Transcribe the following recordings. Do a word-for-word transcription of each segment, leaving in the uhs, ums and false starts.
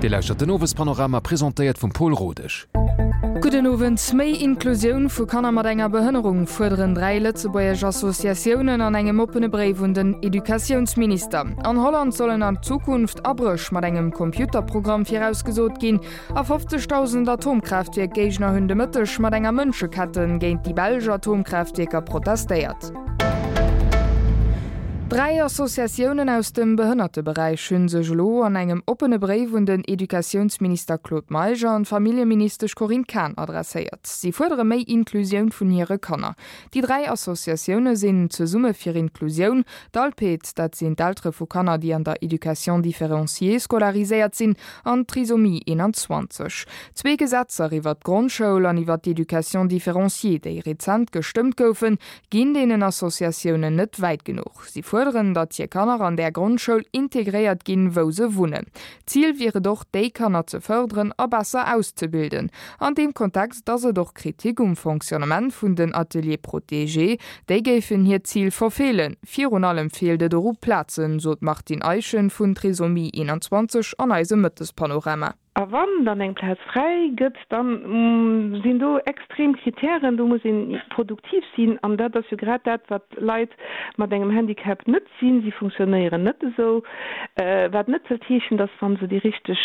Dir lauschtert den Owespanorama, presentéiert vum Pol Rodesch. Gudden Owend. Méi Inklusioun vu Kanner mat enger Behënnerung fuerderen dräi lëtzebuergesch Associatiounen an engem oppene Bréif un den Educatiounsminister. An Holland sollen an Zukunft Abréch mat engem Computerprogramm virausgesot ginn. A fofzegdausend Atomkraaftwierk-Géigner hunn de Mëtteg mat enger Mënscheketten géint déi belsch Atomkraaftwierker protestéiert. Dräi Associatiounen aus dem Behënnerteberäich hu sech elo an engem oppene Bréif un den Educatiounsminister Claude Meisch an d'Familljeministesch Corinne Cahen adresséiert. Si fuerdere méi Inklusioun vun hire Kanner. Déi dräi Associatioune sinn Zesumme fir Inklusioun, d'Alped, dat sinn d'Eltere vu Kanner, déi an der Éducation différenciée scolariséiert sinn, an Trisomie einundzwanzeg. Zwee Gesetzer iwwer d'Grondschoul an iwwer d'Éducation différenciée, déi rezent gestëmmt goufen, ginn deenen Associatiounen net wäit genuch. Si fuerderen, datt hir Kanner an där Grondschoul integréiert ginn, wou se wunnen. Zil wier et och, déi Kanner ze fërderen a besser auszebilden. An deem Kontext ass et och Kritik um Fonctionnement vun den Ateliers protégés. Déi géifen hiert Zil verfeelen. Virun allem feelt et och u Plazen, sot d'Martine Eischen vun Trisomie einundzwanzeg an eisem Mëttespanorama. A wann dann eng Plaz fräi gëtt, da sinn do extrem Kritären, do muss ee produktiv sinn an dat ass jo grad dat, wat Leit mat engem Handicap net sinn, si funktionéieren net esou, wat net wëllt heeschen, datt wa se déi richteg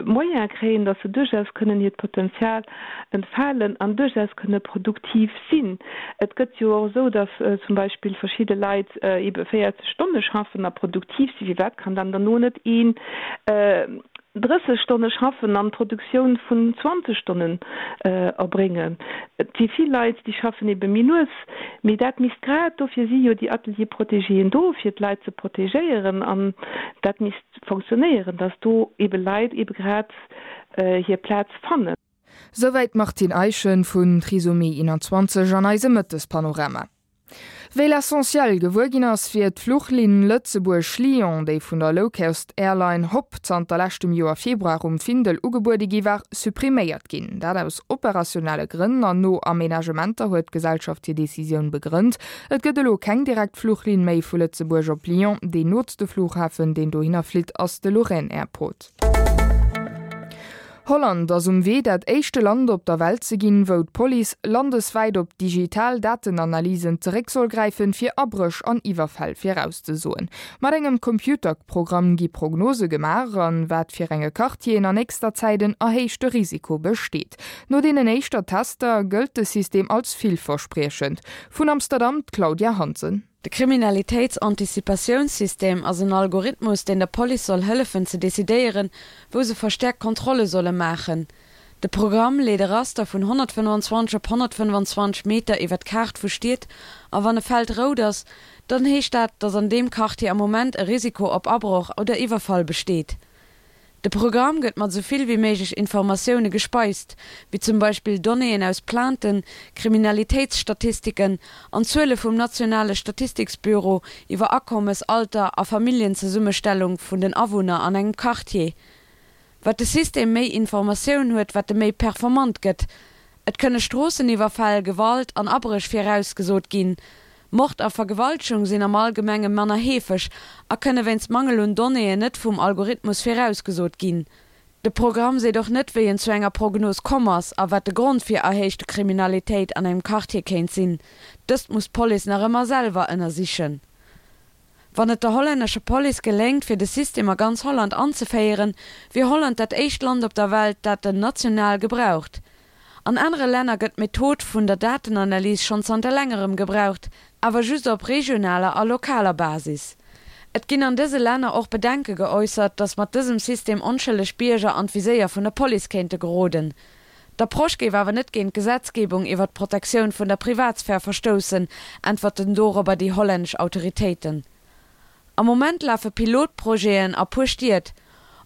Moyene kréien, datt se duerchaus kënnen hiert Potenzial entfalen an duerchaus kënne produktiv sinn. Et gëtt jo och esou, datt zum Beispill verschidde Leit ebe véierzeg Stonne schaffen a produktiv sinn. Firwat kann dann derno net een drësseg Stonne schaffen an d'Produktioun vun zwanzeg Stonnen erbréngen? Et si vill Leit, déi schaffen ebe méi lues, mee dat misst grad, dofir si jo déi Ateliers protégéen do, fir d'Leit ze protegéieren, an dat misst fonctionnéieren, datt do ebe Leit ebe grad hir Plaz fannen. Souwäit d'Martine Eischen vun Trisomie einundzwanzeg an eisem Mëttespanorama. Wéi L'Essentiel gewuer ginn ass, wier d'Fluchlinn Lëtzebuerg-Lyon, déi vun der Lowcost-Airline Hop zanter leschtem Joer Februar um Findel ugebuede gi war, suppriméiert ginn. Dat aus operationelle Grënn an no Amenagementer, huet d'Gesellschaft hir Decisioun begrënnt. Et gëtt elo keng direkt Fluchlinn méi vu Lëtzebuerg op Lyon. Deen nootste Flughafen, deen dohinner flitt, ass de Lorraine Airport. Holland ass um Wee, dat éischte Land op der Welt ze ginn, wou d'Police landeswäit op digital Datenanalysen zeréck soll gräifen, fir Abréch an Iwwerfäll virauszesoen. Mat engem Computerprogramm gi Prognose gemaach, an wat fir enge Quartieren an nächster Zäit en erhéichte Risiko besteet. No deenen éischter Tester gëllt de System als villverspriechend. Vun Amsterdam d'Claudia Hansen. De Kriminalitéitsanticipatiounssystem ass en Algorithmus, deen der Police soll hëllefen ze decidéieren, wou se verstäerkt Kontrolle solle maachen. De Programm leet e Raster vun honnertfënnefanzwanzeg op honnertfënnefanzwanzeg Meter iwwer d'Kaart vu Stied a wann e Feld rout ass, dann heescht dat, datt an deem Quartier am Moment e Risiko op Abroch oder Iwwerfall besteet. De Programm gëtt mat esou vill wéi méiglech Informatioune gespeist, wéi zum Beispill Donnéeën aus Plainten, Kriminalitéitsstatistiken an Zuele vum nationale Statistiksbüro iwwer Akommes, Alter a Familljenzesummestellung vun den Awunner an engem Quartier. Wat de System méi Informatioun huet, wat e méi performant gëtt. Et kënne Stroosseniwwerfäll, Gewalt an Abréch virausgesot ginn. Mord a Vergewaltegung sinn am Allgemenge manner heefeg a kënne wéinst Mangel un Donnéeën net vum Algorithmus virausgesot ginn. De Programm seet och net, wéi en zu enger Prognos komm ass a wat de Grond fir erhéichte Kriminalitéit an engem Quartier kéint sinn. Dëst muss d'Police nach ëmmer selwer ënnersichen. Wann et der hollännescher Police geléngt, fir de System a ganz Holland anzeféieren, wier Holland dat éischt Land op der Welt, dat en national gebraucht. An anere Länner gëtt d'Method vun der Datenanalys schonn zanter längerem gebraucht, awer just op regionaler a lokaler Basis. Et ginn an dëse Länner och Bedenke geäussert, datt mat dësem System onschëlleg Bierger an d'Viséier vun der Police kéinte geroden. D'Approche géif awer net géint d'Gesetzgebung iwwer d'Protektioun vun der Privatsphär verstoussen, äntwerten dorobber déi hollännesch Autoritéiten. Am Moment lafe Pilotprojeten a puer Stied.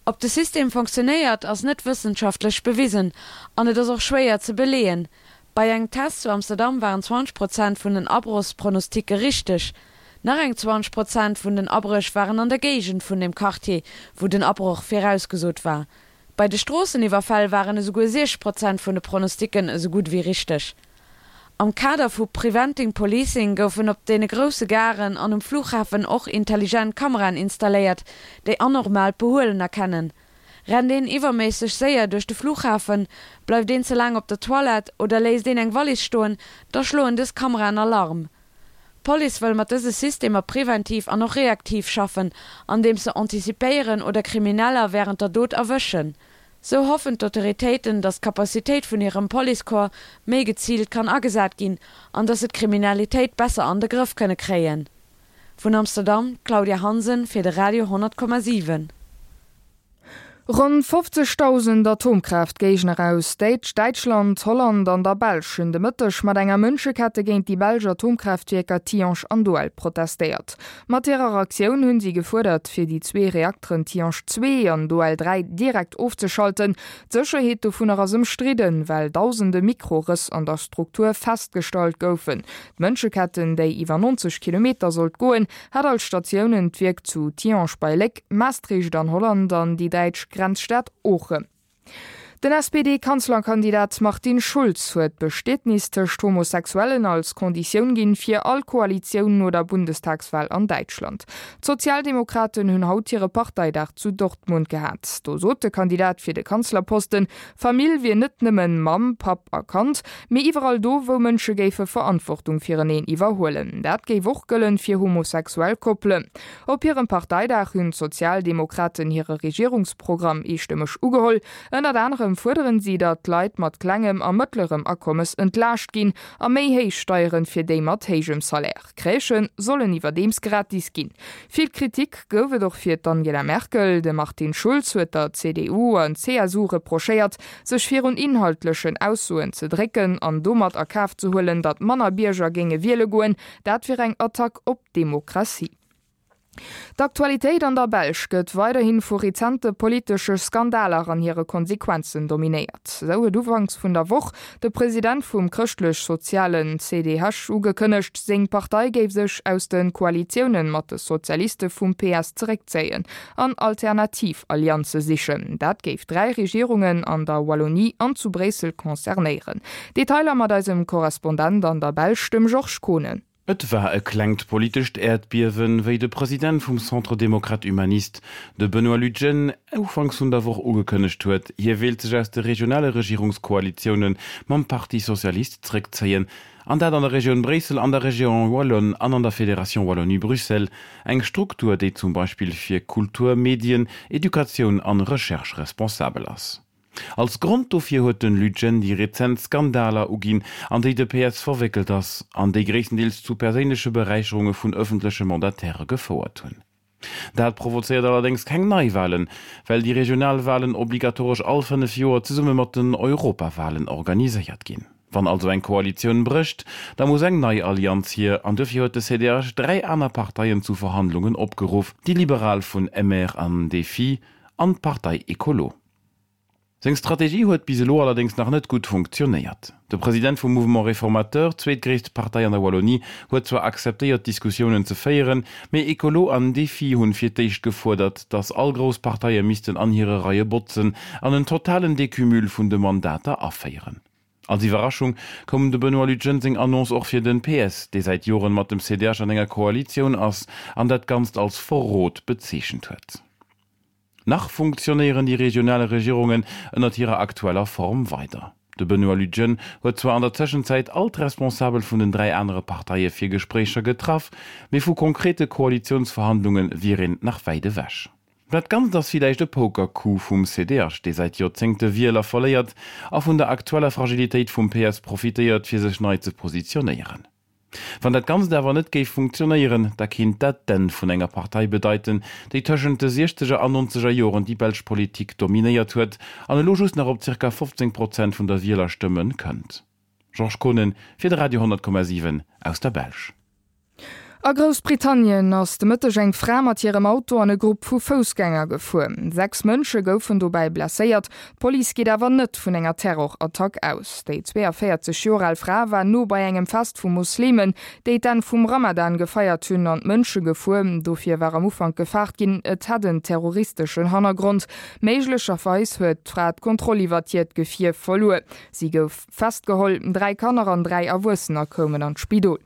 Ob de System fonctionéiert, ass net wëssenschaftlech bewisen an et ass och schwéier ze beleeën. Bei engem Test zu Amsterdam waren zwanzeg Prozent vun den Abrochspronosticke richteg. Nach eng zwanzeg Prozent vun den Abréch waren an der Géigend vun dem Quartier, wou den Abroch virausgesot war. Bei de Stroosseniwwerfäll waren esouguer siechzeg Prozent vun de Pronosticken esou gutt ewéi richteg. Am Kader vu Preventing Policing goufen op deene grousse Garen an um Flughafen och intelligent Kameraen installéiert, déi anormaalt Behuelen erkennen. Rennt een iwwerméisseg séier duerch de Flughafen, bleift een ze laang op der Toilette oder léisst een eng Wallis stoen, da schloen dës Kameraen Alarm. D'Police wëll mat dëse Systemer preventiv an och reaktiv schaffen, andeems se antizipéieren oder Krimineller wärend der Dot erwëschen. Sou hoffen d'Autoritéiten, datt d'Capacitéit vun hirem Policecorps méi geziilt kann agesat ginn an datt se d'Kriminalitéit besser an de Grëff kënne kréien. Vun Amsterdam, d'Claudia Hansen fir de Radio honnert Komma siwen. Ronn fofzegdausend Atomkraaftgéigner aus Däitschland, Holland an der Belsch hunn de Mëtteg mat enger Mënschekette géint déi belsch Atomkraaftwierker Tihange an Doel protestéiert. Mat hirer Aktioun hunn si gefuerdert, fir déi zwee Reakteren Tihange zwee an Doel dräi direkt ofzeschalten. D'Sécherheet dovunner ass ëmstridden, well dausende Mikrorëss an der Struktur festgestallt goufen. D'Mënscheketten, déi iwwer neunzeg Kilometer sollt goen, hat als Statiounen d'Wierk zu Tihange bei Léck, Maastricht an Holland an déi däitsch Grenzstad Oochen. Den S P D-Kanzlerkandidat Martin Schulz huet d'Bestietnis tëscht Homosexuellen als Konditioun ginn fir all Koalitioun no der Bundestagswal an Däitschland. D'Sozialdemokraten hunn haut hire Parteidag zu Dortmund gehat. Do sot de Kandidat fir de Kanzlerposten, Famill wier net nëmmen Mamm, Papp a Kand, mee iwwerall do, wou Mënsche géife Verantwortung fireneen iwwerhuelen. Dat géif och gëllen fir homosexuell Koppelen. Op hirem Parteidag hunn d'Sozialdemokraten hire Regierungsprogramm eestëmmeg ugeholl. Ënnert anerem fuerderen si, datt d'Leit mat klengem a mëttlerem Akommes entlaascht ginn a méi héich Steieren fir déi mat héijem Salaire. Crèchë sollen iwwerdeems gratis ginn. Vill Kritik gouf et och fir d'Angela Merkel. De Martin Schulz huet der C D U an C S U reprochéiert, sech virun inhaltlechen Aussoen ze drécken an domat a Kaf ze huelen, datt manner Bierger géinge wiele goen. Dat wier eng Attack op d'Demokratie. D'Aktualitéit an der Belsch gëtt weiderhi vu rezente politesche Skandaler an hire Konsequenzen dominéiert. Sou huet ufanks vun der Woch de President vum chrëschtlech-sozialen C D H ugekënnegt, seng Partei géif sech aus de Koalitioune mat de Sozialiste vum P S zeréckzéien an alternativ Allianze sichen. Dat géif dräi Regierungen an der Wallonie an zu Bréissel concernéieren. Detailer mat eisem Korrespondent an der Belsch, dem Georges Kohnen. Et war e klengt politescht Äerdbiewen, wéi de President vum Centre démocrate humaniste, de Benoît Lutgen, ufanks vun der Woch ugekënnegt huet, hie wéilt sech aus de regionale Regierungskoalitioune mam Parti socialiste zeréckzéien, an dat an der Regioun Bréissel, an der Région wallonne an an der Fédération Wallonie-Bruxelles, eng Struktur, déi zum Beispill fir Kultur, Medien, Educatioun an Recherche responsabel ass. Als Grond dofir huet den Lutgen déi rezent Skandaler uginn, an déi de P S verwéckelt ass an déi gréisstendeels zu perséinleche Beräicherunge vun ëffentleche Mandatairë gefouert hunn. Dat provozéiert allerdéngs keng Neiwalen, well déi Regionalwalen obligatoresch all fënnef Joer zesumme mat den Europawalen organiséiert ginn. Wann also eng Koalitioun brécht, da muss eng nei Allianz hier, an dofir huet de C D H dräi aner Parteien zu Verhandlungen opgeruff, déi Liberal vun M R an DéFI an d'Partei Ecolo. Seng Strategie huet bis elo allerdéngs nach net gutt funktionéiert. De President vum Mouvement Réformateur, zweetgréisst Partei an der Wallonie, huet zwar akzeptéiert Diskussiounen ze féieren, mee Ecolo an DéFI hunn fir d'éischt gefuerdert, datt all grouss Parteie missten an hire Reie botzen an en totalen Decumul vun de Mandater aféieren. Als Iwwerraschung koum dem Benoît Lutgen seng Annonce och fir den P S, dee säit Joren mat dem C D H an enger Koalitioun ass an dat Ganzt als Verrot bezeechent huet. Nach funktionéieren déi regionale Regierungen ënnert hirer aktueller Form weider. De Benoît Lutgen huet zwar an der Tëschenzäit all d'Responsabel vun den dräi anere Parteie fir Gespréicher getraff, mee vu konkrete Koalitiounsverhandlunge wier een nach wäit ewech. Dat Ganzt ass villäicht e Poker-Coup vum C D H, dee säit Joerzéngte Wieler verléiert a vun der aktueller Fragilitéit vum P S profitéiert, fir sech nei ze positionéieren. Wann dat Ganzt awer net géif funktionéieren, da kéint dat d'Enn vun enger Partei bedeiten, déi tëschent de siechzeger an nonzeger Joren déi belsch Politik dominéiert huet an elo just nach op zirka fofzéng Prozent vun der Wielerstëmme kënnt. Georges Kohnen fir de Radio honnert Komma siwen aus der Belsch. A Groussbritannien ass de Mëtteg eng Fra mat hirem Auto an e Grupp vu Foussgänger gefuer. Sechs Mënsche goufen dobäi blesséiert. D'Police geet awer net vun enger Terrorattack aus. Déi zweeënvéierzeg Joer al Fra war no bei engem Fest vu Muslimen, déi d'Enn vum Ramadan gefeiert hunn, an d'Mënsche gefuer. Dofir war am Ufank gefaart ginn, et hätt en terroristeschen Hannergrond. Méiglecherweis huet d'Fra d'Kontroll iwwer hiert Gefier verluer. Si gouf festgeholl. Dräi Kanner an dräi Erwuessener koumen an d'Spidol.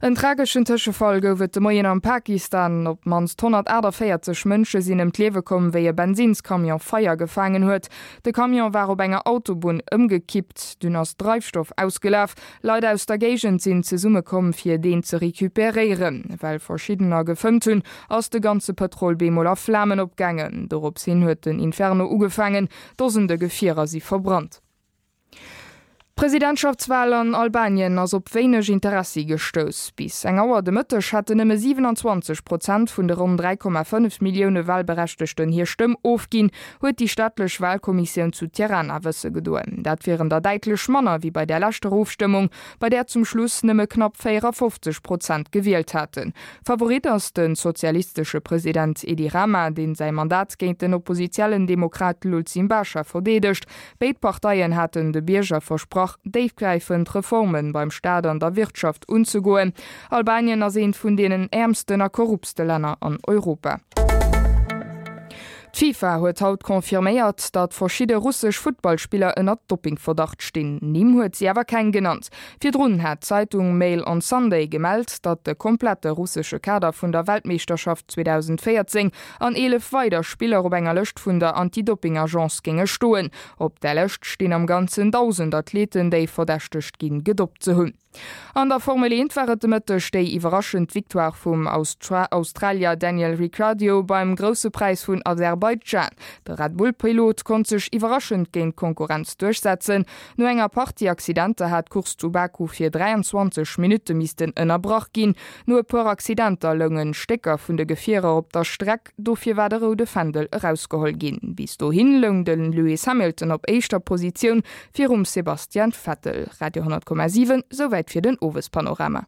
En trageschen Tëschefall gouf et de Moien am Pakistan. Op d'mannst honnertaachtavéierzeg Mënsche sinn ëm d'Liewe komm, wéi e Bensinnscamion Feier gefaangen huet. De Camion war op enger Autobunn ëmgekippt, dunn ass Dreifstoff ausgelaf. Leit aus der Géigend sinn zesummekomm, fir deen ze recuperéieren. Well verschiddener gefëmmt hunn, ass de ganze Pëtrol bemol a Flamen opgaangen. Dorops hin huet den Inferno ugefaangen, Dosende Gefierer si verbrannt. D'Presidentschaftswal an Albanien ass op wéineg Interessi gestouss. Bis eng Auer de Mëtteg haten nëmme siewenanzwanzeg Prozent vun de ronn dräi Komma fënnef Millioune Walberechtegten hir Stëmm ofginn, huet déi staatlech Walkommissioun zu Tirana wësse gedoen. Dat wieren der däitlech manner wéi bei der leschter Ofstëmmung, bei där zum Schluss nëmme knapp véierafofzeg Prozent gewielt haten. Favorit ass de sozialistesche President Edi Rama, deen säi Mandat géint den oppositiellen Demokrat Lulzim Basha verdeedegt. Béid Parteien haten de Bierger versprach, déifgräifend Reforme beim Staat an der Wirtschaft unzegoen. Albanien ass eent vun deenen äermsten a korruptste Länner an Europa. D'FIFA huet haut confirméiert, datt verschidde russesch Futtballspiller ënner Doppingverdacht stinn. Nimm huet si awer keng genannt. Virdrun hat d'Zeitung Mail on Sunday gemellt, datt de komplette russesche Kader vun der Weltmeeschterschaft zweedausendvéierzéng an eelef weider Spiller op enger Lëscht vun der Anti-Dopping-Agence géinge stoen. Op där Lëscht stinn am Ganzen dausend Athleten, déi verdächtegt ginn, gedoppt ze hunn. An der Formel eent war et de Mëtteg déi iwwerraschend Victoire vum Australier Daniel Ricciardo beim Grousse Präis vun Aserbaidschan. De Red Bull-Pilot konnt sech iwwerraschend géint d'Konkurrenz duerchsetzen. No enger Partie Accidenter hat d'Course zu Baku fir dräianzwanzeg Minutte missten ënnerbrach ginn. No e puer Accidenter lounge Stécker vun de Gefierer op der Streck, dofir war de roude Fändel erausgeholl ginn. Bis dohin loung de Lewis Hamilton op éischter Positioun virum Sebastian Vettel. Radio honnertkommasiwen, Souwäit fir den Owespanorama.